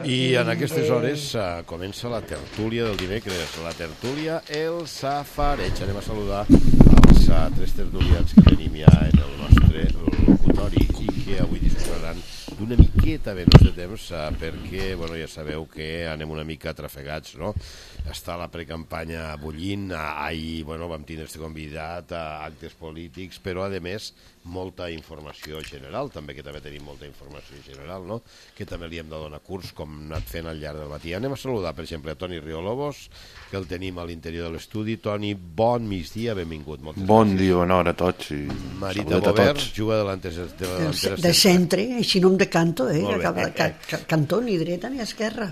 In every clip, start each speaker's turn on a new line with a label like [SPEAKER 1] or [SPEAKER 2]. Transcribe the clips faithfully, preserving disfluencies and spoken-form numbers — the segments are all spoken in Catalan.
[SPEAKER 1] I en aquestes hores uh, comença la tertúlia del dimecres, la tertúlia El Safareig. Anem a saludar els uh, tres tertulians que tenim ja en el nostre locutori i que avui disposaran d'una miqueta menys de temps uh, perquè, bueno, ja sabeu que anem una mica trafegats, no? Està la precampanya bullint, ahir, bueno, vam tindre este convidat a actes polítics, però a més molta informació general, també que també tenim molta informació general, no? Que també li hem de donar curs com hem anat fent al llarg del matí. Anem a saludar, per exemple, a Toni Riolobos, que el tenim a l'interior de l'estudi. Toni, bon migdia, benvingut. Moltes
[SPEAKER 2] bon
[SPEAKER 1] gràcies.
[SPEAKER 2] dia, bona hora a tots. I
[SPEAKER 1] Marita Bobert, juga delanteres de delanteres.
[SPEAKER 3] De centre, així no em decanto, eh? Acaba, ca, ca, cantó ni dreta ni esquerra.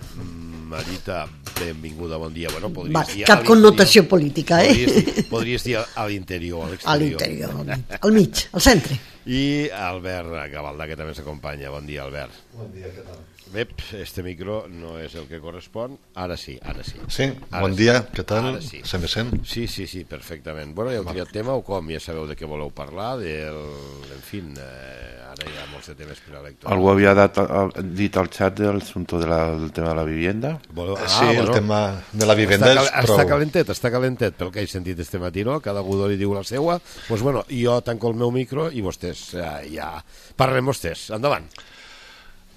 [SPEAKER 1] Marita, benvinguda, bon dia. Bueno, podries
[SPEAKER 3] Va,
[SPEAKER 1] dir
[SPEAKER 3] cap connotació política, eh?
[SPEAKER 1] Podries dir, podries dir a l'interior, a l'exterior.
[SPEAKER 3] A l'interior, al mig, al centre.
[SPEAKER 1] I Albert Gavaldà, que també s'acompanya. Bon dia, Albert.
[SPEAKER 4] Bon dia, què tal?
[SPEAKER 1] Bé, este micro no és el que correspon. Ara sí, ara sí.
[SPEAKER 4] Sí,
[SPEAKER 1] ara
[SPEAKER 4] bon
[SPEAKER 1] sí.
[SPEAKER 4] dia, què tal?
[SPEAKER 1] Sí.
[SPEAKER 4] Se me sent?
[SPEAKER 1] Sí, sí, sí, perfectament. Bueno, ja heu triat tema o com? Ja sabeu de què voleu parlar, del... En fi, eh, ara hi ha molts de temes preelectorals.
[SPEAKER 2] Algú havia dat, dit al xat del assumpte de la, del tema de la vivienda?
[SPEAKER 1] Voleu... Ah,
[SPEAKER 4] sí,
[SPEAKER 1] bueno.
[SPEAKER 4] el tema de la vivenda
[SPEAKER 1] està,
[SPEAKER 4] és prou...
[SPEAKER 1] Està calentet, està calentet, pel que he sentit este matí, no? Cada algú li diu la seua. Doncs pues bueno, jo tanco el meu micro i vostès ja, ja parlem vostès. Endavant.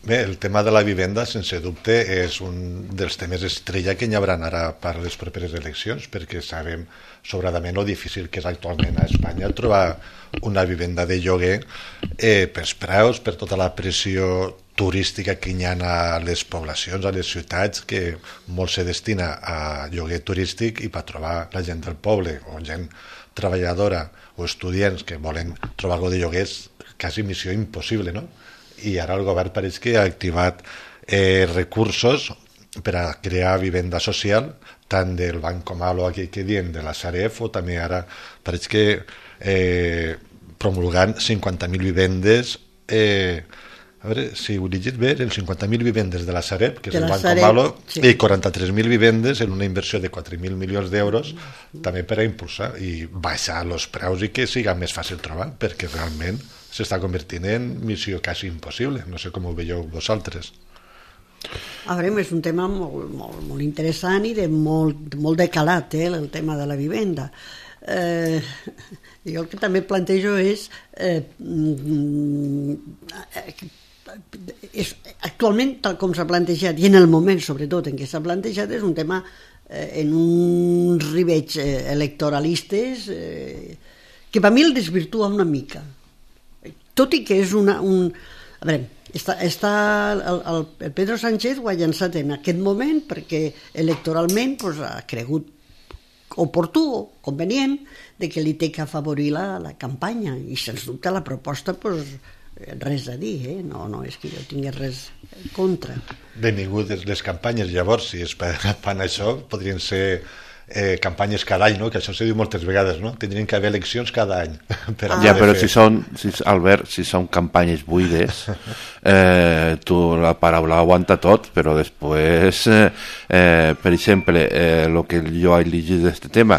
[SPEAKER 4] Bé, el tema de la vivenda, sense dubte, és un dels temes estrella que hi haurà ara per les properes eleccions, perquè sabem sobradament lo difícil que és actualment a Espanya trobar una vivenda de lloguer eh, pels preus, per tota la pressió turística que hi ha a les poblacions, a les ciutats, que molt se destina a lloguer turístic i per trobar la gent del poble o gent treballadora o estudiants que volen trobar algo de lloguer és quasi missió impossible, no? I ara el govern pareix que ha activat eh, recursos per a crear vivenda social, tant del Banc Comalo, aquí que diem, de la Sareb, o també ara pareix que eh, promulgant cinquanta mil vivendes, eh, a veure si ho he llegit bé, el cinquanta mil vivendes de la Sareb, que és el Banc Comalo, sí. I quaranta-tres mil vivendes en una inversió de quatre mil milions d'euros, també per a impulsar i baixar els preus i que siga més fàcil trobar, perquè realment s'està convertint en missió quasi impossible. No sé com ho veieu vosaltres.
[SPEAKER 3] A veure, és un tema molt, molt, molt interessant i de molt, molt de calat, eh, el tema de la vivenda. Eh, jo el que també plantejo és, eh, és actualment, tal com s'ha plantejat, i en el moment sobretot en què s'ha plantejat, és un tema eh, en uns rivets eh, electoralistes eh, que per mi el desvirtua una mica. Tot i que és una... Un... A veure, està, està el, el, el Pedro Sánchez ho ha llançat en aquest moment perquè electoralment pues, ha cregut oportú o convenient de que li té que afavorir la, la campanya i sens dubte la proposta pues, res a dir, eh? no, no és que jo tingués res contra.
[SPEAKER 4] Benvingudes les campanyes, llavors, si és per, per això, podrien ser eh, campanyes cada any, no? Que això se diu moltes vegades, no? Tindrien que haver eleccions cada any. Per
[SPEAKER 2] ah. Ja, però fer... si són, si, Albert, si són campanyes buides, eh, tu la paraula aguanta tot, però després, eh, eh, per exemple, eh, lo que jo he llegit d'aquest tema,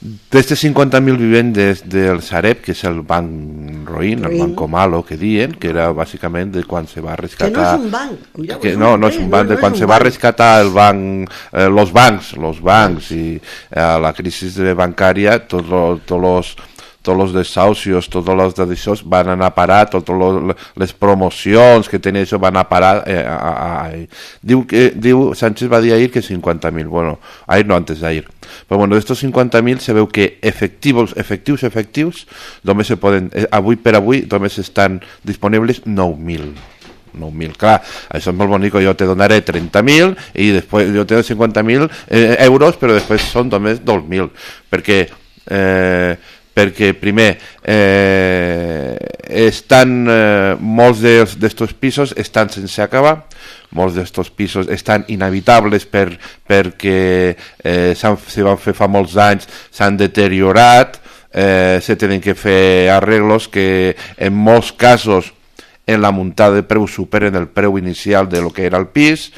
[SPEAKER 2] d'estes cinquanta mil vivendes del Sareb, que és el banc Roín, el banc Comalo, que diuen, que era bàsicament de quan se va rescatar...
[SPEAKER 3] Que no és un banc.
[SPEAKER 2] Ja, que no, no és un banc, de quan se va rescatar el banc, eh, los bancs, los bancs, i eh, la crisi bancària, tots los, tots los tots els desahucios, tots els d'això van anar a parar, totes les promocions que tenia això van anar a parar. Eh, a, a, a. Diu, que, diu, Sánchez va dir ahir que cinquanta mil, bueno, ahir no, antes d'ahir. Però bueno, d'estos cinquanta mil se veu que efectius, efectius, efectius, només se poden, eh, avui per avui, només estan disponibles nou mil. nou mil, clar, això és molt bonic, jo te donaré trenta mil i després jo te dono cinquanta mil eh, euros, però després són només dos mil, perquè eh, perquè primer eh, estan eh, molts d'estos pisos estan sense acabar, molts d'estos pisos estan inhabitables per, perquè eh, se van fer fa molts anys, s'han deteriorat, eh, se tenen que fer arreglos que en molts casos en la muntada de preu superen el preu inicial de lo que era el pis,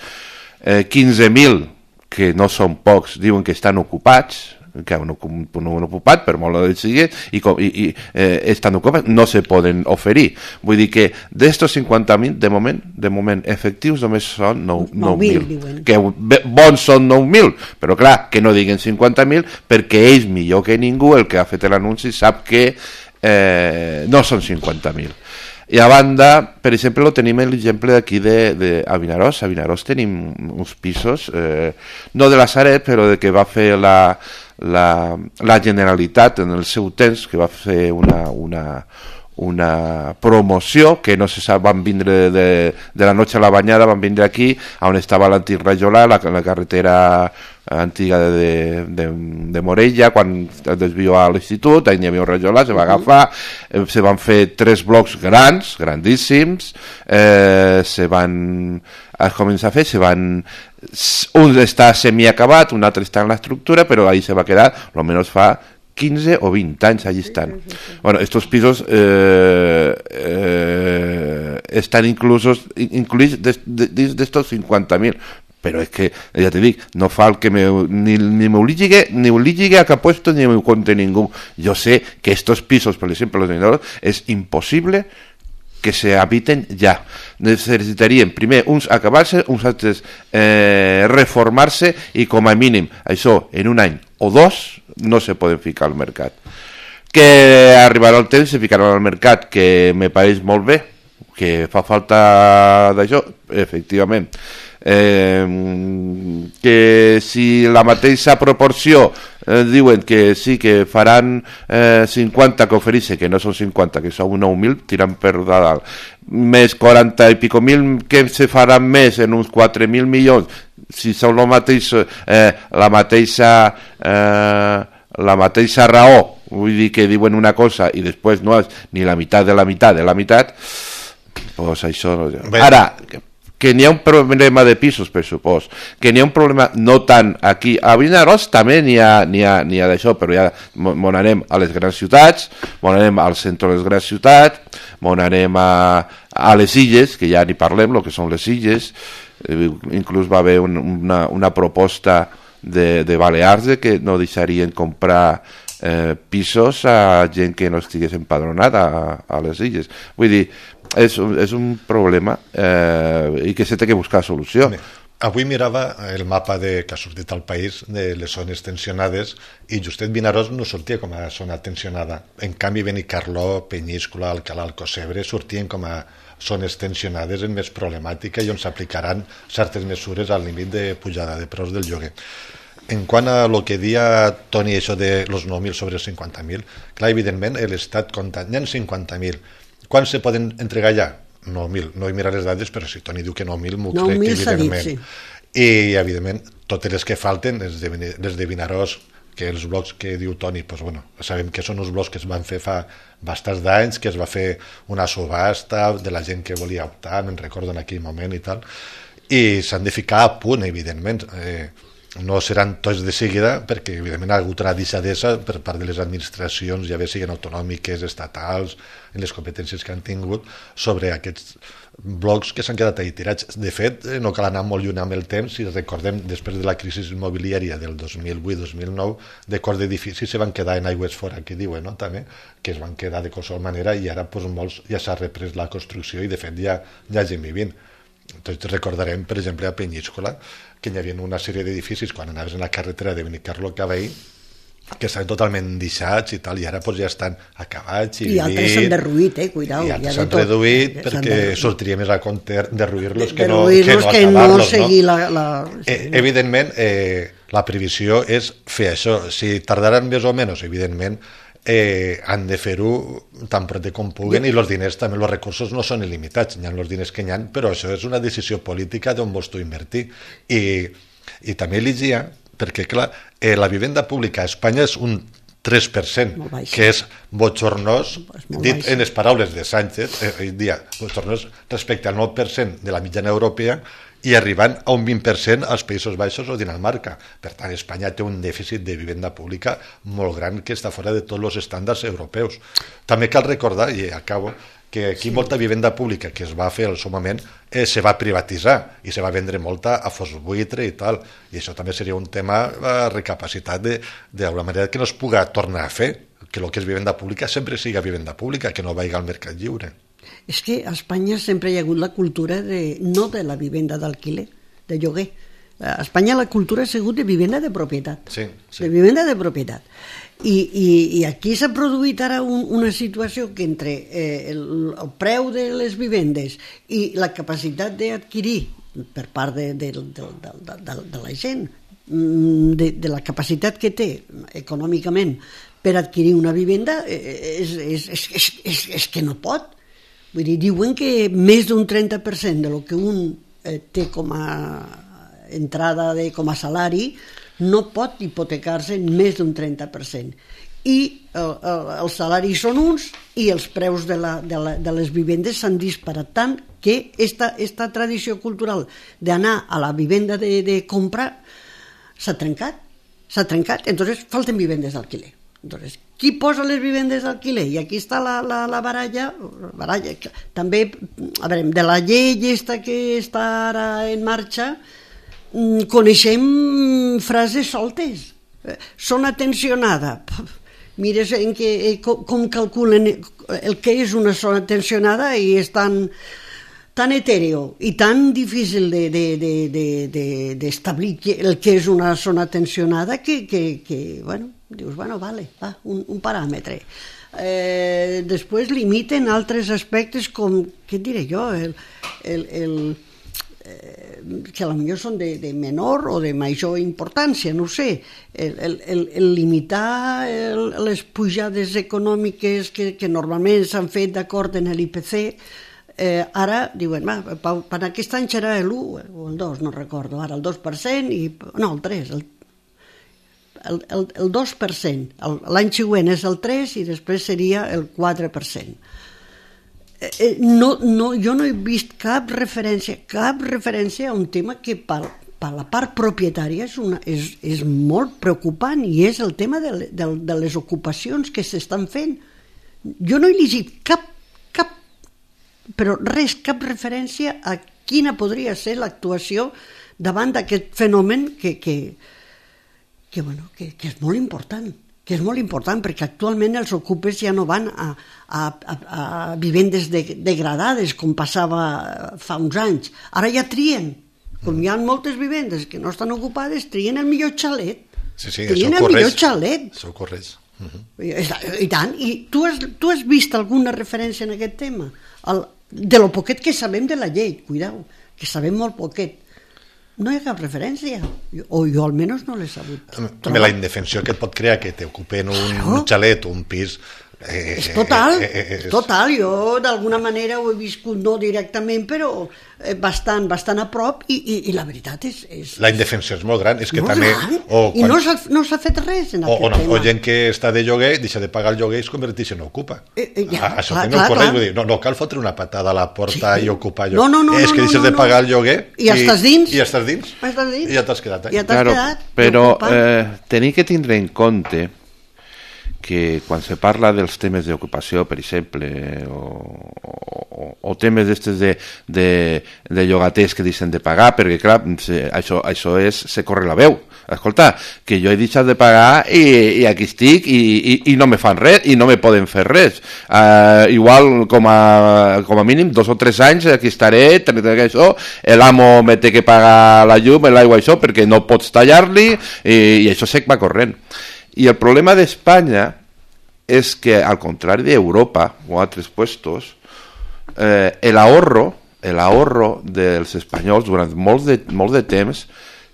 [SPEAKER 2] eh, quinze mil que no són pocs diuen que estan ocupats, que han, no han ocupat, per molt que sigui, i, i, i eh, estan ocupats, no se poden oferir. Vull dir que d'estos cinquanta mil, de moment, de moment, efectius només són nou mil. Que bons són nou mil, però clar, que no diguin cinquanta mil, perquè ells, millor que ningú, el que ha fet l'anunci, sap que eh, no són cinquanta mil. I a banda, per exemple, tenim l'exemple d'aquí de, de a Vinaròs. A Vinaròs tenim uns pisos, eh, no de la Sareb, però de que va fer la, la, la Generalitat en el seu temps, que va fer una, una, una promoció que no se sap, van vindre de, de la noche a la banyada, van vindre aquí on estava l'antic Rajolà, la, la carretera antiga de, de, de Morella, quan es desvió a l'institut, allà hi havia un Rajolà, se va agafar, eh, se van fer tres blocs grans, grandíssims, eh, se van es comença a fer, se van un està semiacabat, un altre està en l'estructura, però ahí se va quedar, almenys fa quinze o vint anys allí estan. Bueno, estos pisos eh, eh, están inclusos incluïts dins d'estos cinquanta mil, però és que, ja te dic, no fa el que me, ni, ni me obligue, ni obligue a que puesto ni me conte ningú. Jo sé que estos pisos, per exemple, los dineros, és impossible que se habiten ja. Necessitarien primer uns acabar-se, uns altres eh, reformar-se i com a mínim això en un any o dos no se poden ficar al mercat. Que arribarà el temps, se ficaran al mercat, que me pareix molt bé, que fa falta d'això, efectivament. Eh, que si la mateixa proporció eh, diuen que sí que faran eh, cinquanta que ofereixen, que no són cinquanta, que són nou mil, tiran per dalt, més quaranta i pico mil que se faran més en uns quatre mil milions, si són el mateix, eh, la mateixa eh, la mateixa raó, vull dir que diuen una cosa i després no és ni la meitat de la meitat de la meitat, pues això no... Ara, que n'hi ha un problema de pisos, per supòs, que n'hi ha un problema no tant aquí, a Vinaròs també n'hi ha, n'hi ha, n'hi ha d'això, però ja m'on anem a les grans ciutats, m'on anem al centre de les grans ciutats, m'on anem a, a les illes, que ja ni parlem, el que són les illes, eh, inclús va haver un, una, una proposta de, de Balears de que no deixarien comprar eh, pisos a gent que no estigués empadronada a, a les illes. Vull dir, és, és un problema eh, i que s'ha de buscar solució.
[SPEAKER 4] Avui mirava el mapa de, que ha sortit al país de les zones tensionades i justet Vinaròs no sortia com a zona tensionada. En canvi, Benicarló, Penyíscola, Alcalà, Alcocebre sortien com a zones tensionades en més problemàtica i on s'aplicaran certes mesures al límit de pujada de preus del lloguer. En quant a lo que dia Toni, això de los nou mil sobre cinquanta mil, clar, evidentment, l'Estat compta, n'hi ha cinquanta mil. Quan se poden entregar ja? nou mil. No he mirat les dades, però si Toni diu que nou mil, m'ho crec, evidentment. Dit, sí. I, evidentment, totes les que falten, les de, les de Vinaròs, que els blocs que diu Toni, pues, bueno, sabem que són uns blocs que es van fer fa bastants d'anys, que es va fer una subhasta de la gent que volia optar, me'n recordo en aquell moment i tal, i s'han de ficar a punt, evidentment. Eh, no seran tots de seguida, perquè evidentment ha hagut una deixadesa per part de les administracions, ja bé siguin autonòmiques, estatals, en les competències que han tingut, sobre aquests blocs que s'han quedat ahí tirats. De fet, no cal anar molt lluny amb el temps, si recordem, després de la crisi immobiliària del dos mil vuit dos mil nou, de cors d'edificis se van quedar en aigües fora, que diuen, no?, també, que es van quedar de qualsevol manera, i ara pues, molts ja s'ha reprès la construcció i de fet ja, ja gent vivint. Entonces recordarem, per exemple, a Penyíscola, que hi havia una sèrie d'edificis quan anaves en la carretera de Benicarló cap ahí, que estaven totalment deixats i tal, i ara pues, ja estan acabats i,
[SPEAKER 3] I altres s'han derruït, eh, cuidao.
[SPEAKER 4] I altres s'han reduït perquè derruït. Sortiria més a compte derruir-los que no,
[SPEAKER 3] que no
[SPEAKER 4] que acabar-los.
[SPEAKER 3] No seguir
[SPEAKER 4] no?
[SPEAKER 3] La, la...
[SPEAKER 4] Eh, evidentment, eh, la previsió és fer això. Si tardaran més o menys, evidentment, eh, han de fer-ho tan prop com puguen, i els diners també, els recursos no són il·limitats, hi ha els diners que hi ha, però això és una decisió política d'on vols tu invertir. I, i també llegia, perquè clar, eh, la vivenda pública a Espanya és un tres per cent, que és botxornós, dit baix. En les paraules de Sánchez, eh, dia, botxornós respecte al nou per cent de la mitjana europea, i arribant a un vint per cent als Països Baixos o Dinamarca. Per tant, Espanya té un dèficit de vivenda pública molt gran que està fora de tots els estàndards europeus. També cal recordar, i acabo, que aquí sí. molta vivenda pública que es va fer al seu moment eh, se va privatitzar i se va vendre molta a fos buitre i tal, i això també seria un tema a recapacitat d'alguna manera que no es puga tornar a fer, que el que és vivenda pública sempre siga vivenda pública, que no vagi al mercat lliure.
[SPEAKER 3] És que a Espanya sempre hi ha hagut la cultura de, no de la vivenda d'alquiler, de lloguer. A Espanya la cultura ha sigut de vivenda de propietat.
[SPEAKER 4] Sí, sí.
[SPEAKER 3] De vivenda de propietat. I, i, i aquí s'ha produït ara un, una situació que entre eh, el, el preu de les vivendes i la capacitat d'adquirir per part de, de, de, de, de, de la gent, de, de la capacitat que té econòmicament per adquirir una vivenda, és, és, és, és, és, és que no pot. Vull dir, diuen que més d'un trenta per cent de lo que un eh, té com a entrada de, com a salari no pot hipotecar-se en més d'un trenta per cent. I el, el, els salaris són uns i els preus de, la, de, la, de les vivendes s'han disparat tant que esta, esta tradició cultural d'anar a la vivenda de, de compra s'ha trencat. S'ha trencat. Entonces falten vivendes d'alquiler. Entonces, qui posa les vivendes d'alquiler? I aquí està la, la, la baralla, baralla. També, a veure, de la llei aquesta que està ara en marxa, coneixem frases soltes. Zona tensionada. Mires en que, com, com calculen el que és una zona tensionada i és tan, tan etèreo i tan difícil d'establir de, de, de, de el que és una zona tensionada que, que, que bueno, dius, bueno, vale, va, un, un paràmetre. Eh, després limiten altres aspectes com, què et diré jo, el, el, el, eh, que potser són de, de menor o de major importància, no ho sé, el, el, el, el limitar el, les pujades econòmiques que, que normalment s'han fet d'acord en l'I P C, eh, ara diuen, va, per aquest any serà l'u o el dos, no recordo, ara el dos per cent, i, no, el tres, el El, el, el dos per cent, l'any següent és el tres i després seria el quatre per cent. Eh, no, no, jo no he vist cap referència, cap referència a un tema que per, per la part propietària és, una, és, és molt preocupant i és el tema de, de, de les ocupacions que s'estan fent. Jo no he llegit cap, cap, però res, cap referència a quina podria ser l'actuació davant d'aquest fenomen que... que Que, bueno, que, que és molt important, que és molt important perquè actualment els ocupes ja no van a, a, a, a vivendes de, degradades com passava fa uns anys. Ara ja trien, com hi ha moltes vivendes que no estan ocupades, trien el millor xalet.
[SPEAKER 4] Sí, sí,
[SPEAKER 3] trien
[SPEAKER 4] això
[SPEAKER 3] el
[SPEAKER 4] correix.
[SPEAKER 3] millor xalet.
[SPEAKER 4] Això correix. Uh-huh.
[SPEAKER 3] I, I tant, i tu has, tu has vist alguna referència en aquest tema? El, de lo poquet que sabem de la llei, cuidao, que sabem molt poquet. No hi ha cap referència, o jo almenys no l'he sabut.
[SPEAKER 4] També la indefensió que et pot crear que t'ocupen un, claro. un xalet o un pis...
[SPEAKER 3] Eh, és total, eh, eh, és total. Jo d'alguna manera ho he viscut, no directament, però bastant, bastant a prop, i, i, i la veritat és, és...
[SPEAKER 4] La indefensió és molt gran, és que
[SPEAKER 3] molt
[SPEAKER 4] també...
[SPEAKER 3] Gran.
[SPEAKER 4] O quan,
[SPEAKER 3] I no s'ha, no s'ha fet res en
[SPEAKER 4] o,
[SPEAKER 3] aquest
[SPEAKER 4] o no,
[SPEAKER 3] tema.
[SPEAKER 4] O gent que està de lloguer, deixa de pagar el lloguer i es converteix en ocupa.
[SPEAKER 3] Eh, eh, ja,
[SPEAKER 4] ah, això
[SPEAKER 3] clar,
[SPEAKER 4] també
[SPEAKER 3] clar,
[SPEAKER 4] ho correix,
[SPEAKER 3] clar.
[SPEAKER 4] vull dir, no, no cal fotre una patada a la porta
[SPEAKER 3] Sí.
[SPEAKER 4] i ocupar allò.
[SPEAKER 3] No, no, no,
[SPEAKER 4] és que
[SPEAKER 3] no,
[SPEAKER 4] deixes
[SPEAKER 3] no,
[SPEAKER 4] de
[SPEAKER 3] no.
[SPEAKER 4] pagar el lloguer
[SPEAKER 3] I ja estàs dins.
[SPEAKER 4] I ja estàs dins.
[SPEAKER 3] Ja estàs dins.
[SPEAKER 4] I ja t'has quedat.
[SPEAKER 3] Ja t'has
[SPEAKER 2] Claro,
[SPEAKER 3] quedat.
[SPEAKER 2] però
[SPEAKER 3] ocupant.
[SPEAKER 2] eh, tenir que tindre en compte que quan se parla dels temes d'ocupació, per exemple, o, o, o temes d'estes de, de, de llogaters que deixen de pagar, perquè clar, se, això, això és, se corre la veu. Escolta, que jo he deixat de pagar i, i aquí estic i, i, i no me fan res i no me poden fer res. Uh, igual com a, com a mínim dos o tres anys aquí estaré, això, l'amo me té que pagar la llum, l'aigua, això, perquè no pots tallar-li i, i això se va corrent. Y el problema de España es que, al contrario de Europa o altres puestos, eh, el ahorro el ahorro dels espanyols durant molts de, molts de temps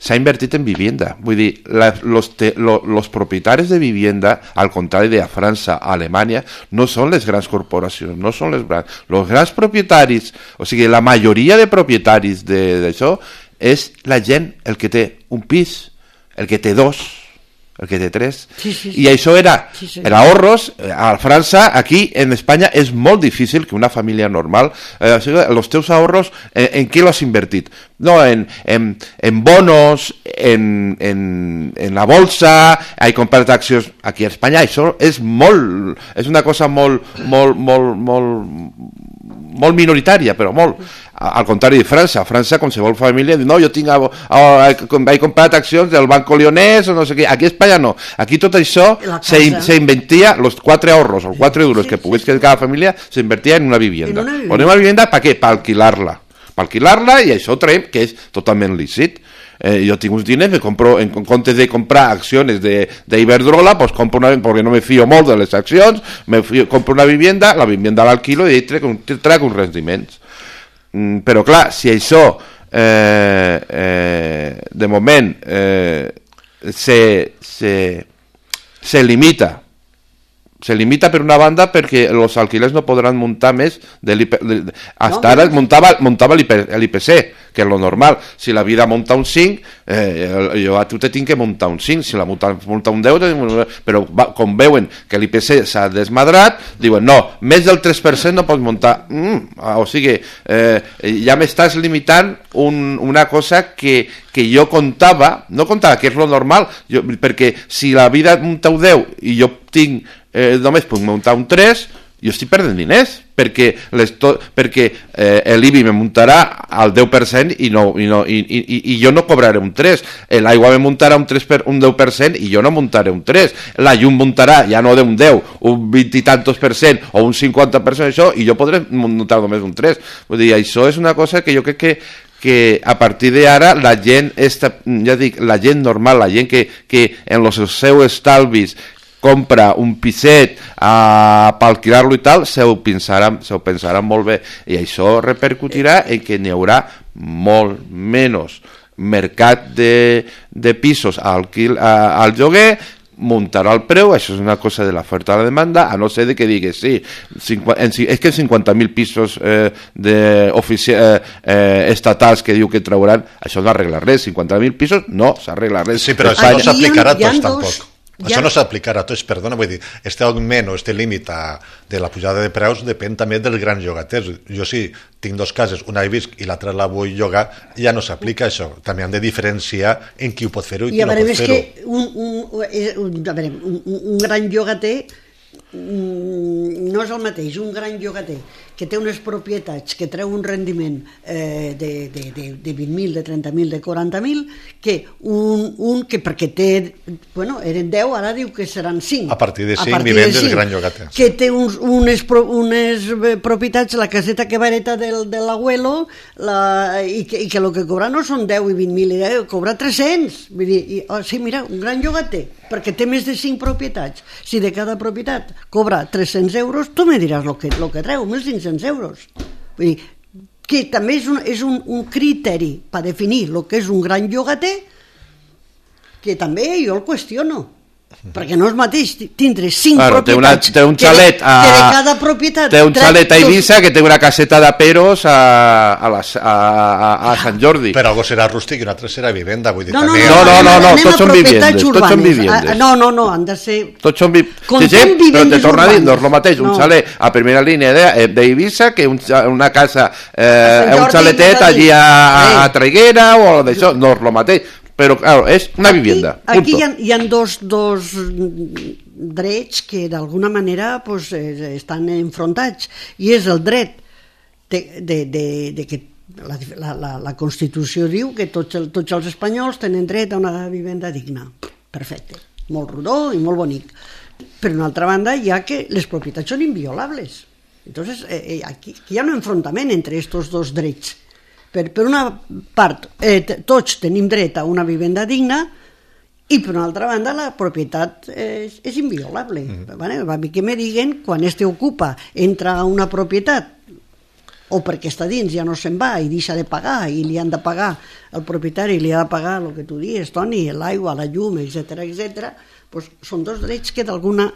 [SPEAKER 2] s'ha invertit en vivienda. Vull dir, la, los, te, lo, los propietaris de vivienda, al contrari de a França, a Alemanya, no són les grans corporacions, no són les grans... Los grans propietaris, o sigui, la majoria de propietaris d'això, és la gent, el que té un pis, el que té dos, el que té tres,
[SPEAKER 3] sí, sí, sí.
[SPEAKER 2] i això era,
[SPEAKER 3] sí, sí.
[SPEAKER 2] era ahorros. A França, aquí en Espanya és molt difícil que una família normal, eh, els teus ahorros, eh, en què l'has invertit? No, en, en, en bonos, en, en, en la bolsa, he comprat accions. Aquí a Espanya això és molt, és una cosa molt, molt, molt, molt, molt minoritària, però molt. Al contrari de França, a França qualsevol família diu, no, jo tinc, he comprat accions del Banco Lyonès o no sé què. Aquí a Espanya no, aquí tot això se, se invertia, los quatre ahorros o quatre euros sí, que pogués sí, sí. cada família se invertia en una vivienda. En una vivienda, una vivienda ¿para qué? Per alquilar-la, per alquilar-la, i això traiem que és totalment lícit. Eh, yo tengo unos diners, me compro, en comptes de comprar acciones de, de Iberdrola, pues compro una, porque no me fío molt de les accions, me fío, compro una vivienda, la vivienda l'alquilo i trec, trec uns rendiments. Mm, però clar, si això eh, eh, de moment eh, se, se, se limita se limita per una banda perquè els alquilers no podran muntar més de l'I P, de, hasta no, ara muntava, muntava l'I P C, que és lo normal. Si la vida munta un cinc, eh, jo a tu te tinc que muntar un cinc, si la munta, munta un deu, però va, com veuen que l'I P C s'ha desmadrat, diuen no, més del tres per cent no pots muntar. Mm, o sigui, eh, ja m'estàs limitant un, una cosa que, que jo comptava, no comptava, que és lo normal, jo, perquè si la vida munta un deu i jo tinc eh, només puc muntar un tres, jo estic perdent diners, perquè, les to perquè eh, l'I B I me muntarà al deu per cent i, no, i, no, i, i, i jo no cobraré un tres, l'aigua me muntarà un, tres per, un deu per cent i jo no muntaré un tres, la llum muntarà ja no d'un deu, un vint i tantos per cent o un cinquanta per cent això, i jo podré muntar només un tres. Vull dir, això és una cosa que jo crec que que a partir d'ara la gent, esta, ja dic, la gent normal, la gent que, que en els seus estalvis compra un piset uh, per alquilar-lo i tal, se ho pensaran, se ho pensaran molt bé, i això repercutirà en que n'hi haurà molt menys mercat de, de pisos al, uh, al lloguer, muntarà el preu, això és una cosa de l'oferta a la demanda, a no ser de que digues sí, cinquanta, és que cinquanta mil pisos eh, de eh, eh, estatals que diu que trauran, això no arregla res, cinquanta mil pisos no s'arregla res.
[SPEAKER 4] Sí, però això no s'aplicarà a tots tampoc. Ja. Això no s'aplicarà a tots, perdona, vull dir, este augment o este límit de la pujada de preus depèn també dels grans llogaters. Jo sí, tinc dos cases, una he vist i l'altra la vull llogar, ja no s'aplica això. També hem de diferenciar en qui ho pot fer-ho i, i qui no pot fer-ho.
[SPEAKER 3] Que un, un, un, a veure, un, un gran llogater no és el mateix, un gran llogater que té unes propietats que treu un rendiment eh, de, de, de, de vint mil, de trenta mil, de quaranta mil, que un, un que perquè té, bueno, eren deu, ara diu que seran cinc.
[SPEAKER 4] A partir de cinc vivents del gran llogater.
[SPEAKER 3] Que té uns, unes, unes propietats, la caseta que va heretar del, de l'abuelo, la, i, que, i que el que cobra no són deu i vint mil, eh, cobra tres-cents. Vull dir, i, oh, sí, mira, un gran llogater, perquè té més de cinc propietats. Si de cada propietat cobra tres-cents euros, tu me diràs el que, lo que treu, mil cinc-cents euros. Vull dir, que també és un, és un, un criteri per definir el que és un gran llogater, que també jo el qüestiono. Perquè no és mateix tindre cinc claro, propietats
[SPEAKER 2] té, una, té un xalet
[SPEAKER 3] que, de, a, que de cada propietat
[SPEAKER 2] té un xalet a Eivissa que té una caseta de peros a, a, les, a, a, a Sant Jordi,
[SPEAKER 4] però algo serà rústic i un altre serà vivenda, vull dir,
[SPEAKER 3] no, no,
[SPEAKER 4] també...
[SPEAKER 2] no, no, no, no, no tots són vivendes, tots són vivendes.
[SPEAKER 3] No, no, no, han de ser
[SPEAKER 2] tots són vi... sí, sí, però te torna a dir, no és el mateix un no. xalet a primera línia d'Eivissa que un, una casa eh, un xaletet allí a, a Traiguera o d'això, no és el mateix. Però, claro, és una vivienda.
[SPEAKER 3] Aquí, aquí hi ha, hi ha dos, dos drets que d'alguna manera pues, eh, estan enfrontats, i és el dret de, de, de, de que la, la, la Constitució diu que tots, el, tots els espanyols tenen dret a una vivenda digna. Perfecte, molt rodó i molt bonic. Per una altra banda, hi ha que les propietats són inviolables. Entonces, eh, aquí hi ha un enfrontament entre aquests dos drets. Per, per una part, eh, tots tenim dret a una vivenda digna, i per una altra banda la propietat és, és inviolable. Mm. Vale? A mi que me diguen, quan este ocupa entra a una propietat, o perquè està dins ja no se'n va i deixa de pagar, i li han de pagar, el propietari li ha de pagar el que tu dius, Toni, l'aigua, la llum, etcètera, etcètera, pues són dos drets que d'alguna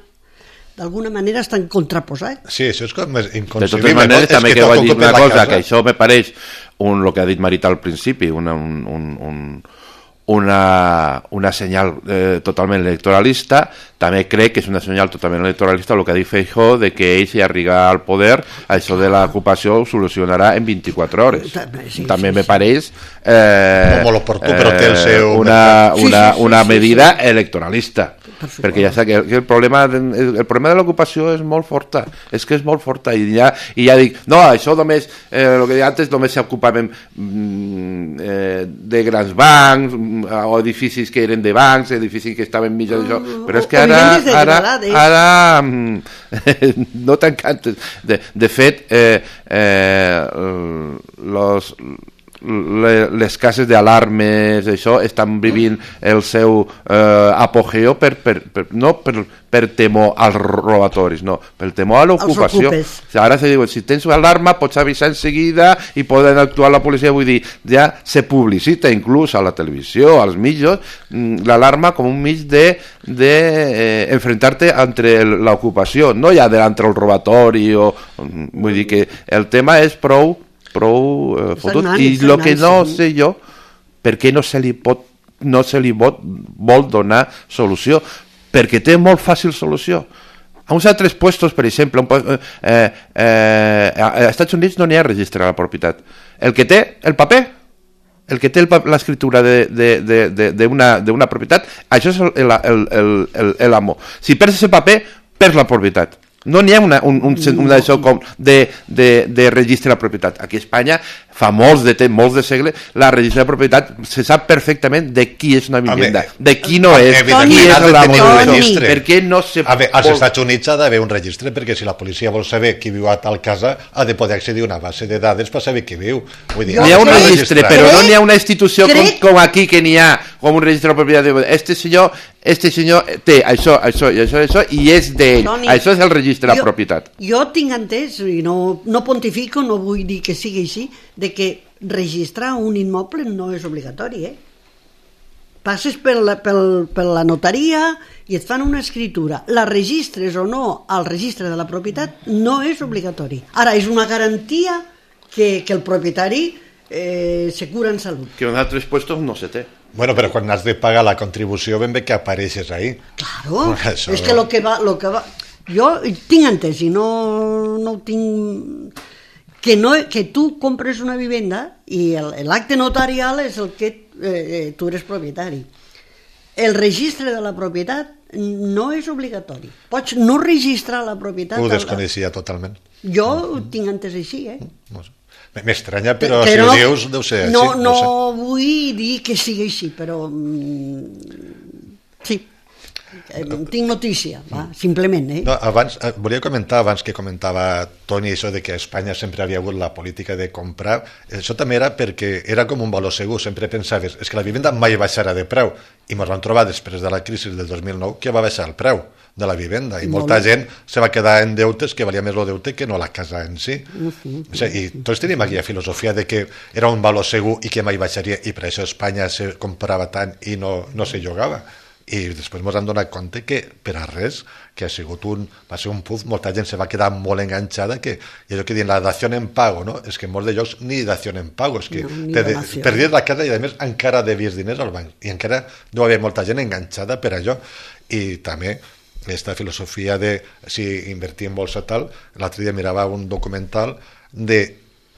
[SPEAKER 3] d'alguna manera estan contraposats.
[SPEAKER 4] Sí, això és com inconcebible.
[SPEAKER 2] De totes maneres, també que, que vaig dir una cosa, casa. Que això me pareix un, el que ha dit Marita al principi, una, un, un, un, una, una senyal eh, totalment electoralista. També crec que és una senyal totalment electoralista el que ha dit Feijóo, de que ell, si arriba al poder, això de l'ocupació ho solucionarà en vint-i-quatre hores.
[SPEAKER 3] Sí,
[SPEAKER 2] també
[SPEAKER 3] sí,
[SPEAKER 2] me
[SPEAKER 3] sí.
[SPEAKER 2] pareix eh,
[SPEAKER 4] molt oportú, però té el seu...
[SPEAKER 2] una, una,
[SPEAKER 3] Sí, sí, sí,
[SPEAKER 2] una
[SPEAKER 3] sí,
[SPEAKER 2] medida
[SPEAKER 3] sí.
[SPEAKER 2] electoralista.
[SPEAKER 3] suposo.
[SPEAKER 2] Perquè ja sap que el problema, de, el problema de l'ocupació és molt forta, és que és molt forta, i ja, i ja dic, no, això només, eh, el que deia antes, només s'ocupaven mm, eh, de grans bancs, o edificis que eren de bancs, edificis que estaven mitjans d'això,
[SPEAKER 3] Uh,
[SPEAKER 2] però és que
[SPEAKER 3] o
[SPEAKER 2] ara,
[SPEAKER 3] vivendes
[SPEAKER 2] ara,
[SPEAKER 3] degradades.
[SPEAKER 2] ara mm, no tan cantes. De, de fet, eh, eh, los... les cases d'alarmes, això, estan vivint el seu eh, apogeo per, per, per, no per, per temor als robatoris, no, per temor a l'ocupació. O sigui, ara se diu, si tens una alarma pots avisar en seguida i poden actuar la policia, vull dir, ja se publicita inclús a la televisió, als mitjans, l'alarma com un mig de, de eh, enfrentar-te entre l'ocupació, no ja delante el robatori, o, vull dir que el tema és prou prou eh, fotut, i el que no sé jo, per què no se li pot no se li pot, vol donar solució, perquè té molt fàcil solució. A uns altres puestos, per exemple, un, eh, eh, a Estats Units no n'hi ha registre de la propietat. El que té el paper, el que té l'escriptura d'una propietat, això és l'amo. Si perds aquest paper, perds la propietat. No n'hi ha una, un, un, un d'això com de, de, de registre de la propietat. Aquí a Espanya, fa molts de temps, molts de segles, la registre de propietat se sap perfectament de qui és una vivienda, de qui no és, qui és l'amo d'això. Per què no se...
[SPEAKER 4] A veure, als Estats Units ha d'haver un registre, perquè si la policia vol saber qui viu a tal casa, ha de poder accedir a una base de dades per saber qui viu. Vull dir,
[SPEAKER 2] hi ha un registre, però
[SPEAKER 3] crec,
[SPEAKER 2] no n'hi ha una institució com,
[SPEAKER 3] crec,
[SPEAKER 2] com aquí, que n'hi ha com un registre de propietat. Este senyor, este senyor té això, això i això, això, i és d'ell. Això és el registre de la propietat.
[SPEAKER 3] Jo tinc entès, i no, no pontifico, no vull dir que sigui així, de que registrar un immoble no és obligatori, eh? Passes per la, pel, per la notaria i et fan una escritura. La registres o no al registre de la propietat no és obligatori. Ara, és una garantia que, que el propietari eh, se cura en salut.
[SPEAKER 2] Que en altres puestos no se té.
[SPEAKER 4] Bueno, però quan has de pagar la contribució ben bé que apareixes ahí.
[SPEAKER 3] Claro,
[SPEAKER 4] Això...
[SPEAKER 3] és que lo que va... Lo que va... Jo tinc entès i no, no ho tinc... Que, no, que tu compres una vivenda i l'acte notarial és el que eh, tu eres propietari. El registre de la propietat no és obligatori. Pots no registrar la propietat...
[SPEAKER 4] Ho desconeixia totalment.
[SPEAKER 3] Jo ho tinc entès així, eh?
[SPEAKER 4] No sé. M'estranya, però, però si ho dius deu ser així.
[SPEAKER 3] No, no,
[SPEAKER 4] no sé.
[SPEAKER 3] vull dir que sigui així, però... Mm, sí. Tinc notícia, va, simplement, eh?
[SPEAKER 4] No, abans, volia comentar, abans que comentava Toni, això de que a Espanya sempre havia hagut la política de comprar, això també era perquè era com un valor segur, sempre pensaves, és que la vivenda mai baixarà de preu, i ens vam trobar després de la crisi del dos mil nou que va baixar el preu de la vivenda, i molta gent se va quedar en deutes que valia més el deute que no la casa en si. Uh-huh. O sigui, i tots tenim aquella filosofia de que era un valor segur i que mai baixaria, i per això a Espanya se comprava tant i no, no se llogava. I després ens hem donat compte que per a res, que ha sigut un, va ser un puf, molta gent se va quedar molt enganxada, que i allò que diuen la dació en pago, no? És que en molts de llocs ni dació en pago, és que
[SPEAKER 3] no,
[SPEAKER 4] te de, perdies la casa i a més encara devies diners al banc, i encara no havia molta gent enganxada per allò. I també aquesta filosofia de si invertir en bolsa tal, l'altre dia mirava un documental de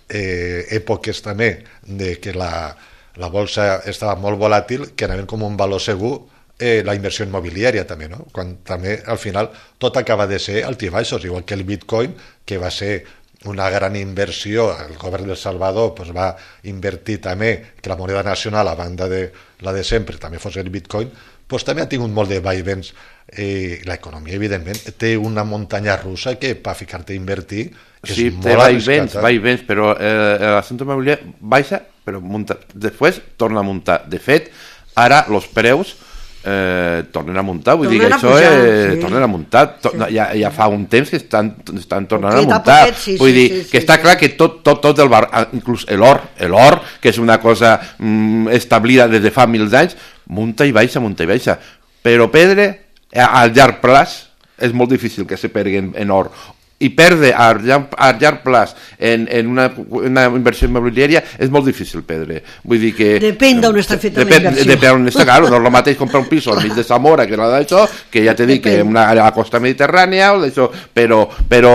[SPEAKER 4] eh, èpoques també de que la, la bolsa estava molt volàtil, que anaven com un valor segur. Eh, la inversió immobiliària també, no? Quan també al final tot acaba de ser altibaixos, igual que el Bitcoin, que va ser una gran inversió, el govern del Salvador pues, va invertir també que la moneda nacional, a banda de la de sempre, també fos el Bitcoin, pues, també ha tingut molt de vaivens. Eh, l'economia, evidentment, té una muntanya russa que per ficar-te a invertir és
[SPEAKER 2] sí,
[SPEAKER 4] molt
[SPEAKER 2] té vaivens,
[SPEAKER 4] arriscat.
[SPEAKER 2] vaivens, però eh, l'assumpte immobiliari baixa, però munta, després torna a muntar. De fet, ara els preus Eh, tornen a muntar, vull tornen dir que això pujar, eh, sí. tornen a muntar, to sí. ja, ja fa un temps que estan, estan tornant Poquet, a muntar, poquet, sí, vull sí, dir sí, sí, que sí, està sí. clar que tot, tot, tot el bar, inclús l'or, l'or, que és una cosa mm, establida des de fa mil anys, munta i baixa, munta i baixa, però pedre, al llarg plaç, és molt difícil que se perguen en or, i perdre a llarg, a llarg plaç en, en una, una inversió immobiliària és molt difícil perdre. Vull dir que...
[SPEAKER 3] Depèn d'on està feta
[SPEAKER 2] depèn,
[SPEAKER 3] la inversió.
[SPEAKER 2] Depèn d'on està, claro, no és el mateix comprar un pis al mig de Zamora que la d'això, que ja t'he dit que una, a la costa mediterrània o d'això, però, però,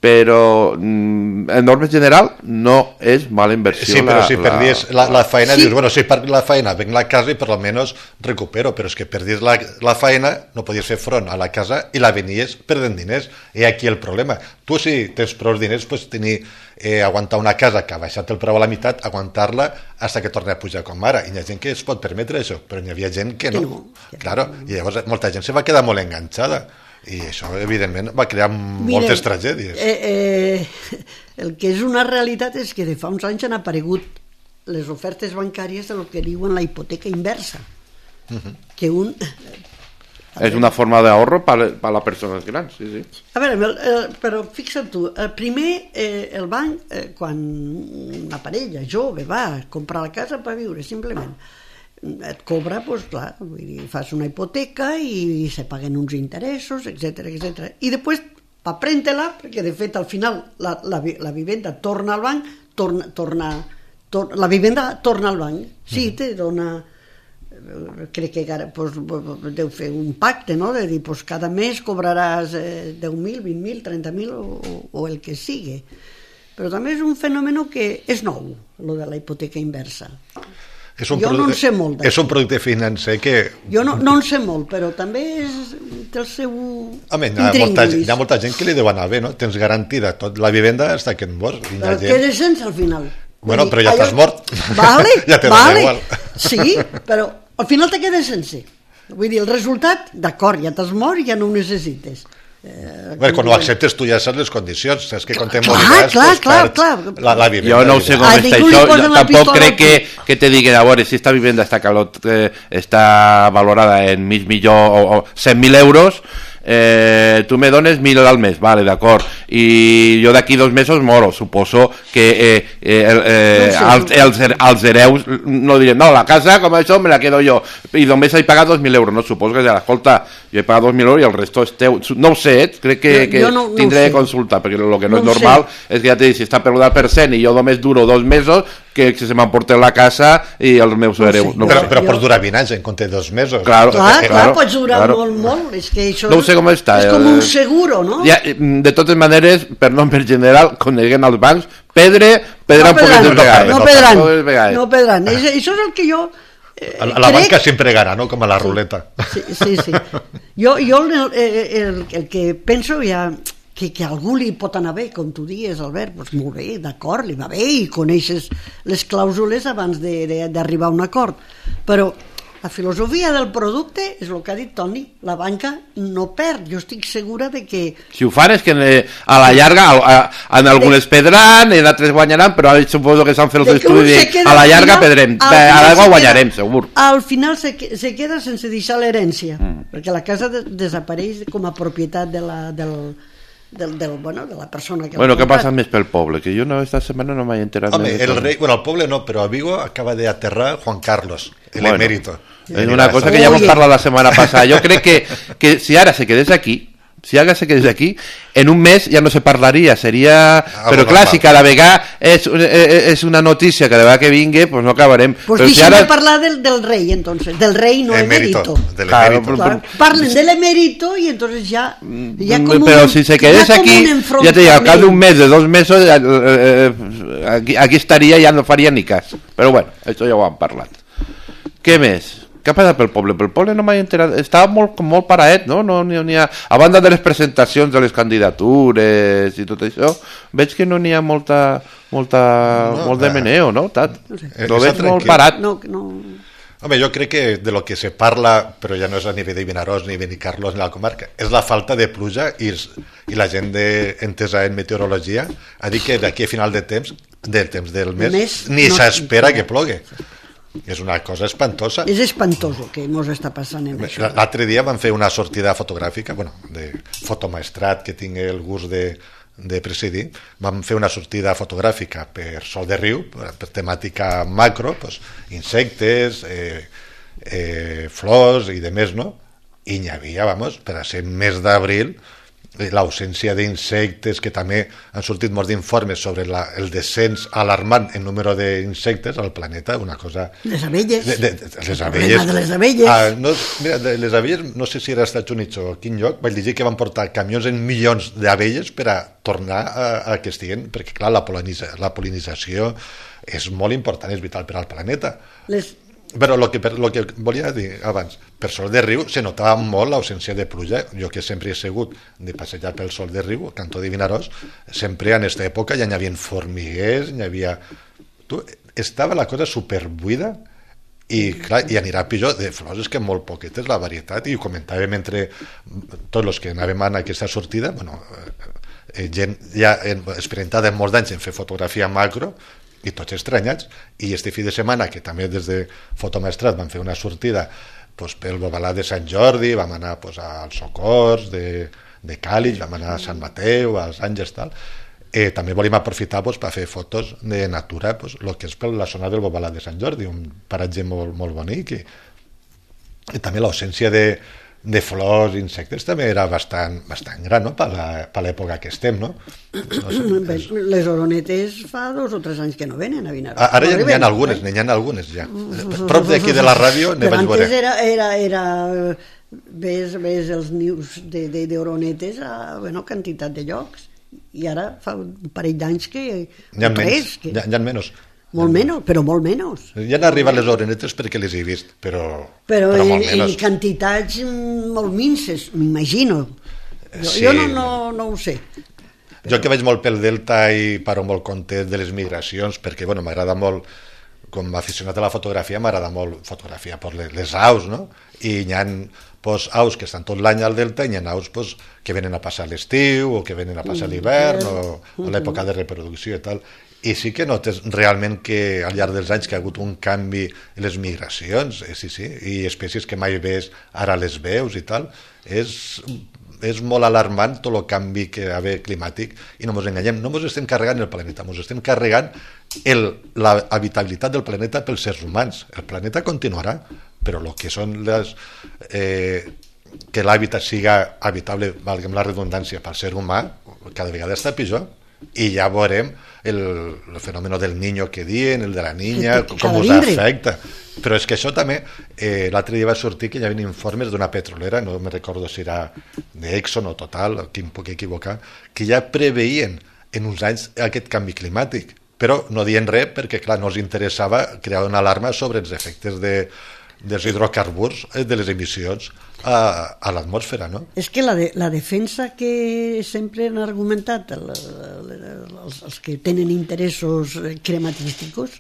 [SPEAKER 2] però en norma general no és mala inversió.
[SPEAKER 4] Sí, però
[SPEAKER 2] la,
[SPEAKER 4] si perdies la, la feina,
[SPEAKER 3] sí.
[SPEAKER 4] dius, bueno, si perdi la feina, venc la casa i per almenys recupero, però és que perdies la, la feina, no podies fer front a la casa i la venies perdent diners. I aquí el problema. Tu, si tens prou diners, pots tenir, eh, aguantar una casa que ha baixat el preu a la meitat, aguantar-la fins que torni a pujar com ara. I hi ha gent que es pot permetre això, però hi havia gent que no. Que no. Claro, i llavors molta gent se va quedar molt enganxada. I això, evidentment, va crear moltes Miren, tragèdies.
[SPEAKER 3] Eh, eh, el que és una realitat és que de fa uns anys han aparegut les ofertes bancàries de lo que diuen la hipoteca inversa. Uh-huh. Que un...
[SPEAKER 2] És una forma d'ahorro per a les persones grans, sí, sí.
[SPEAKER 3] A veure, eh, però fixa't tu, el primer, eh, el banc, eh, quan una parella jove va a comprar la casa per viure, simplement, et cobra, doncs clar, vull dir, fas una hipoteca i se paguen uns interessos, etcètera, etcètera. I després, pa prendre-la, perquè de fet al final la, la, la vivenda torna al banc, torna, torna, torna, la vivenda torna al banc, sí, te dona, crec que pues, deu fer un pacte, no?, de dir, pues, cada mes cobraràs eh, deu mil, vint mil, trenta mil o, o el que sigui. Però també és un fenomen que és nou, lo de la hipoteca inversa.
[SPEAKER 4] És un
[SPEAKER 3] jo
[SPEAKER 4] producte,
[SPEAKER 3] no en sé molt
[SPEAKER 4] és un producte financer que...
[SPEAKER 3] Jo no, no en sé molt, però també és, té el seu
[SPEAKER 4] Home, hi, ha molta, hi ha molta gent que li deu anar bé, no? Tens garantida tot la vivenda fins que et mors.
[SPEAKER 3] Però
[SPEAKER 4] gent...
[SPEAKER 3] quedes sense al final.
[SPEAKER 4] Bueno,
[SPEAKER 3] dir,
[SPEAKER 4] però ja t'has mort.
[SPEAKER 3] Vale,
[SPEAKER 4] ja te
[SPEAKER 3] vale.
[SPEAKER 4] igual.
[SPEAKER 3] Sí, però al final te quedes sense. Vull dir, el resultat, d'acord, ja t'has mort i ja no ho necessites.
[SPEAKER 4] Eh, bueno, quan ho acceptes tu ja saps les condicions, saps que quan te
[SPEAKER 3] clar,
[SPEAKER 4] moriràs
[SPEAKER 3] clar,
[SPEAKER 4] pues,
[SPEAKER 3] clar, clar.
[SPEAKER 4] La, la vivenda.
[SPEAKER 2] Jo no sé com
[SPEAKER 3] a
[SPEAKER 2] està
[SPEAKER 3] ningú li
[SPEAKER 2] això,
[SPEAKER 3] posen
[SPEAKER 2] jo
[SPEAKER 3] la
[SPEAKER 2] tampoc
[SPEAKER 3] pistola
[SPEAKER 2] crec que,
[SPEAKER 3] aquí.
[SPEAKER 2] que te diguen, a veure, si esta vivenda està, calot, eh, està valorada en mig milió o, o cent mil euros, eh, tu me dones mil al mes, vale, d'acord, i jo d'aquí dos mesos moro, suposo que eh, eh, eh,
[SPEAKER 3] no
[SPEAKER 2] els, els, els hereus no dirien, no, la casa com això me la quedo jo, i només he pagat dos mil euros, no, suposo que ja, escolta, jo he pagat dos mil euros i el resto és teu, no ho sé, crec que, que no, no tindré de consultar, perquè el que no, no és normal sé. És que ja t'he dit, si està per un per cent i jo només duro dos mesos, que se m'emporten la casa i els meus no hereus.
[SPEAKER 4] No però però jo... pots durar vint anys en compte de dos mesos.
[SPEAKER 2] Claro,
[SPEAKER 3] clar,
[SPEAKER 2] eh,
[SPEAKER 3] clar,
[SPEAKER 2] claro,
[SPEAKER 3] pots durar
[SPEAKER 2] claro.
[SPEAKER 3] molt, molt. És que això
[SPEAKER 2] no sé com està.
[SPEAKER 3] És com un seguro, no?
[SPEAKER 2] Ja, de totes maneres, per nom per general, coneguen els bancs, pedre, pedran
[SPEAKER 3] no
[SPEAKER 2] poquetes vegades.
[SPEAKER 3] No pedran, no pedran. Això és el que jo...
[SPEAKER 4] Eh, a la crec... banca sempre gana, no? Com a la ruleta.
[SPEAKER 3] Sí, sí, sí. Jo, jo el, el, el que penso ja... Que, que a algú li pot anar bé, com tu dius, Albert, doncs molt bé, d'acord, li va bé i coneixes les clàusules abans d'arribar a un acord. Però la filosofia del producte és el que ha dit Toni, la banca no perd, jo estic segura de que...
[SPEAKER 2] Si ho fan és que a la llarga, a, a, en algunes de... pedran, en altres guanyaran, però suposo que s'han fet els estudis a la llarga final, pedrem, a l'aigua guanyarem, segur.
[SPEAKER 3] Al final se, se queda sense deixar l'herència, mm. perquè la casa de, desapareix com a propietat de la... Del, Del, del, bueno, de la persona que
[SPEAKER 2] bueno, què passa més pel poble? Que jo no, esta setmana no m'he enterat.
[SPEAKER 4] Home, el rei, bueno, el poble no, però a Vigo acaba de aterrar Juan Carlos, el bueno, emérito.
[SPEAKER 2] És una cosa que ja vam parlar la setmana passada. Jo crec que, que si ara se quedés aquí, si ara se quedés aquí, en un mes ja no se parlaria, seria... Ah, però clar, si cada vegada és, és una notícia, cada vegada que vingui, pues no acabarem.
[SPEAKER 3] Pues deixem si ara... de parlar del, del rei, entonces, del rei no emérito.
[SPEAKER 4] Del claro,
[SPEAKER 3] emérito. Claro, parlen del emérito y entonces ya... ya
[SPEAKER 2] como pero un, si se quedes aquí, ya te digo, al cap d'un mes, de dos mesos, eh, eh, aquí, aquí estaria i ja no faria ni cas. Però bueno, això ja ho hem parlat. Què més? Què ha passat pel poble? Pel poble no m'he enterat. Estava molt, molt paraet, no? no n'hi ha... A banda de les presentacions de les candidatures i tot això, veig que no n'hi ha molta, molta, no, molt de meneo, no? Tat? No sé. Lo veig tranquil. Molt parat.
[SPEAKER 3] No, no...
[SPEAKER 4] Home, jo crec que de lo que se parla, però ja no és a nivell de Vinaròs ni Benicarlós ni la comarca, és la falta de pluja i, i la gent de, entesa en meteorologia ha dit que d'aquí a final de temps, del temps del mes, mes ni no, s'espera no. que plogui. És una cosa espantosa.
[SPEAKER 3] És espantoso que ens està passant en això.
[SPEAKER 4] L'altre dia van fer una sortida fotogràfica, bueno, de fotomaestrat que tinc el gust de, de presidir, vam fer una sortida fotogràfica per Sol de Riu, per temàtica macro, pues, insectes, eh, eh, flors i de més, no? I n'hi havia, vamos, per a ser mes d'abril, l'ausència d'insectes, que també han sortit molts d'informes sobre la, el descens alarmant en número d'insectes al planeta, una cosa...
[SPEAKER 3] Les abelles.
[SPEAKER 4] De, de, de, les
[SPEAKER 3] el
[SPEAKER 4] abelles.
[SPEAKER 3] de les abelles.
[SPEAKER 4] Ah, no, mira, de les abelles, no sé si era als Estats Units o a quin lloc, vaig llegir que van portar camions en milions d'abelles per a tornar a, a que estiguen, perquè clar, la, polinitza, la polinització és molt important, és vital per al planeta. Les... Però el que, lo que volia dir abans, per Sol de Riu se notava molt l'ausència de pluja. Jo que sempre he segut de passejar pel Sol de Riu, Cantó de Vinaròs, sempre en aquesta època ja n'hi havia formiguers, n'hi havia... Tu, estava la cosa superbuida i, clar, i anirà pitjor. De flors és que molt poquetes la varietat, i ho comentàvem entre tots els que anàvem a aquesta sortida, bueno, eh, gent ja experimentada en molts anys en fer fotografia macro, i tots estranyats, i este fi de setmana que també des de Fotomaestrat van fer una sortida pues, pel Bobalà de Sant Jordi, vam anar pues, als Socors de, de Càlig, vam anar a Sant Mateu, als Àngels, tal. Eh, també volíem aprofitar pues, per fer fotos de natura, pues, el que és per la zona del Bobalà de Sant Jordi, un paratge molt, molt bonic, i, i també l'ausència de de flors, insectes, també era bastant, bastant gran, no?, per l'època que estem, no? no sé,
[SPEAKER 3] és... Les oronetes fa dos o tres anys que no venen a Vinaròs.
[SPEAKER 4] Ara ja n'hi ha algunes, n'hi ha algunes, ja. Prop d'aquí de la ràdio ne vaig veure.
[SPEAKER 3] Però antes era, era, era ves, ves els nius d'oronetes a bueno, quantitat de llocs, i ara fa un parell d'anys que...
[SPEAKER 4] N'hi ha menys, que... n'hi ha menys.
[SPEAKER 3] Molt menys, però molt menys.
[SPEAKER 4] Ja han arribat les oronetes perquè les he vist, però,
[SPEAKER 3] però,
[SPEAKER 4] però molt
[SPEAKER 3] en,
[SPEAKER 4] menys.
[SPEAKER 3] En quantitats molt minces, m'imagino. Jo, sí. jo no, no, no ho sé.
[SPEAKER 4] Però... Jo que vaig molt pel Delta i paro molt content de les migracions, perquè bueno, m'agrada molt, com a aficionat a la fotografia, m'agrada molt fotografia per les, les aus, no? I hi ha pues, aus que estan tot l'any al Delta, i hi ha aus pues, que venen a passar l'estiu o que venen a passar l'hivern o a l'època de reproducció i tal. I sí que notes realment que al llarg dels anys que ha hagut un canvi en les migracions, eh, sí, sí, i espècies que mai ves, ara les veus i tal, és, és molt alarmant tot el canvi que hi ha climàtic, i no ens enganyem, no ens estem carregant el planeta, ens estem carregant el, la habitabilitat del planeta pels éssers humans. El planeta continuarà, però el que són les... Eh, que l'hàbitat siga habitable, valguem la redundància, pel ser humà, cada vegada està pitjor. I ja veurem el, el fenomen del niño que diuen, el de la niña, com us afecta. Però és que això també, eh, l'altre dia va sortir que hi havia informes d'una petrolera, no me recordo si era d'Exxon o Total, que em puc equivocar, que ja preveien en uns anys aquest canvi climàtic, però no dient res perquè, clar, no els interessava crear una alarma sobre els efectes de, dels hidrocarburs, de les emissions a, a l'atmosfera, no?
[SPEAKER 3] És que la, de, la defensa que sempre han argumentat el, el, els, els que tenen interessos crematístics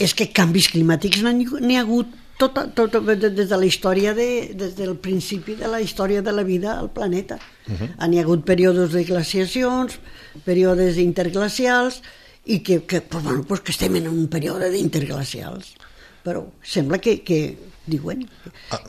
[SPEAKER 3] és que canvis climàtics n'hi ha hagut tota, tota, des de la història de, des del principi de la història de la vida al planeta. Uh-huh. N'hi ha hagut períodes de glaciacions, períodes interglacials, i que, que, pues, bueno, pues que estem en un període d'interglacials. Però sembla que, que diuen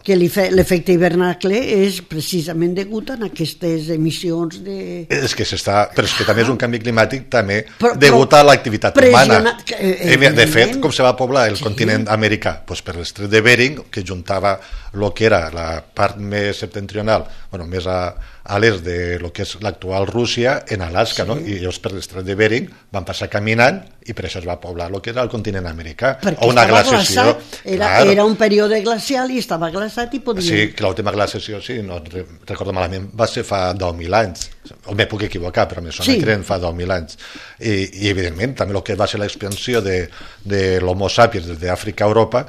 [SPEAKER 3] que l'efecte hivernacle és precisament degut a aquestes emissions de...
[SPEAKER 4] És que s'està... Però és que també és un canvi climàtic també però, degut a l'activitat humana. Eh, de fet, com se va poblar el sí. continent americà? Pues per l'estret de Bering, que juntava el que era la part més septentrional, bueno, més a, a l'est de lo que és l'actual Rússia, en Alaska, sí. no? I llavors per l'estret de Bering van passar caminant i per això es va poblar el que era el continent americà.
[SPEAKER 3] Perquè
[SPEAKER 4] o una
[SPEAKER 3] glaciació. Era, claro. era un període glacial i estava glaçat i podia...
[SPEAKER 4] Sí, que l'última glaciació, sí, no recordo malament, va ser fa deu mil anys. O me puc equivocar, però me sona sí. que eren fa deu mil anys. I, i evidentment, també el que va ser l'expansió de, de l'Homo sapiens des d'Àfrica a Europa,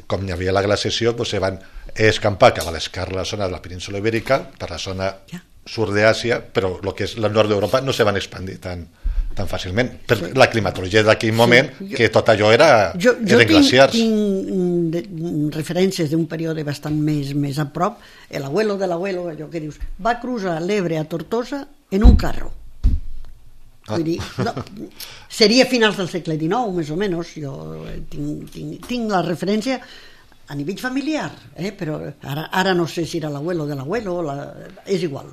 [SPEAKER 4] com hi havia la glaciació, doncs se van escampar cap a l'esquerra de la zona de la península ibèrica, per la zona ja. sud d'Àsia, però el que és el nord d'Europa no se van expandir tant, tan fàcilment, per sí. la climatologia d'aquell moment, sí. jo, que tot allò era,
[SPEAKER 3] jo, jo
[SPEAKER 4] eren glaciars.
[SPEAKER 3] Jo tinc, tinc referències d'un període bastant més, més a prop, l'abuelo de l'abuelo, allò que dius, va cruzar l'Ebre a Tortosa en un carro. Ah. Vull dir, no, seria finals del segle dinou, més o menys, jo tinc, tinc, tinc la referència a nivell familiar, eh? Però ara, ara no sé si era l'abuelo de l'abuelo, la... és igual.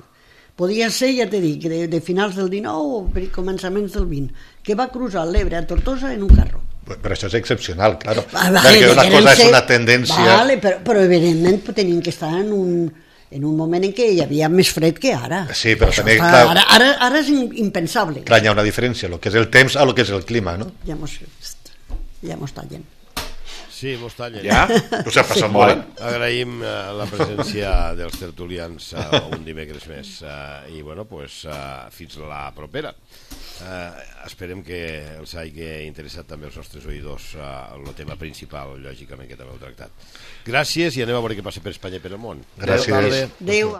[SPEAKER 3] Podia ser, ja t'he dit, de, de finals del dinou o per començaments del vint, que va cruzar l'Ebre a Tortosa en un carro.
[SPEAKER 4] Però això és excepcional, claro. Ah, vale, perquè una cosa ser... és una tendència...
[SPEAKER 3] Vale, però, però evidentment tenien que estar en un, en un moment en què hi havia més fred que ara.
[SPEAKER 4] Sí, però
[SPEAKER 3] Això
[SPEAKER 4] també,
[SPEAKER 3] fa,
[SPEAKER 4] clar-
[SPEAKER 3] ara, ara, ara és in- impensable.
[SPEAKER 4] Clar, hi ha una diferència, el que és el temps a el que és el clima, no?
[SPEAKER 3] Ja mos, ja mos tallen.
[SPEAKER 1] Sí, mos tallen.
[SPEAKER 2] Ja?
[SPEAKER 4] Us ha passat molt.
[SPEAKER 1] Agraïm eh, la presència dels tertulians eh, un dimecres més eh, i bueno, pues, eh, fins la propera. Eh, esperem que els hagi interessat també els nostres oïdors eh, el tema principal, lògicament, que també heu tractat. Gràcies i anem a veure què passa per Espanya i per el món.
[SPEAKER 4] Gràcies.
[SPEAKER 1] Adéu, tarda.
[SPEAKER 3] Adéu.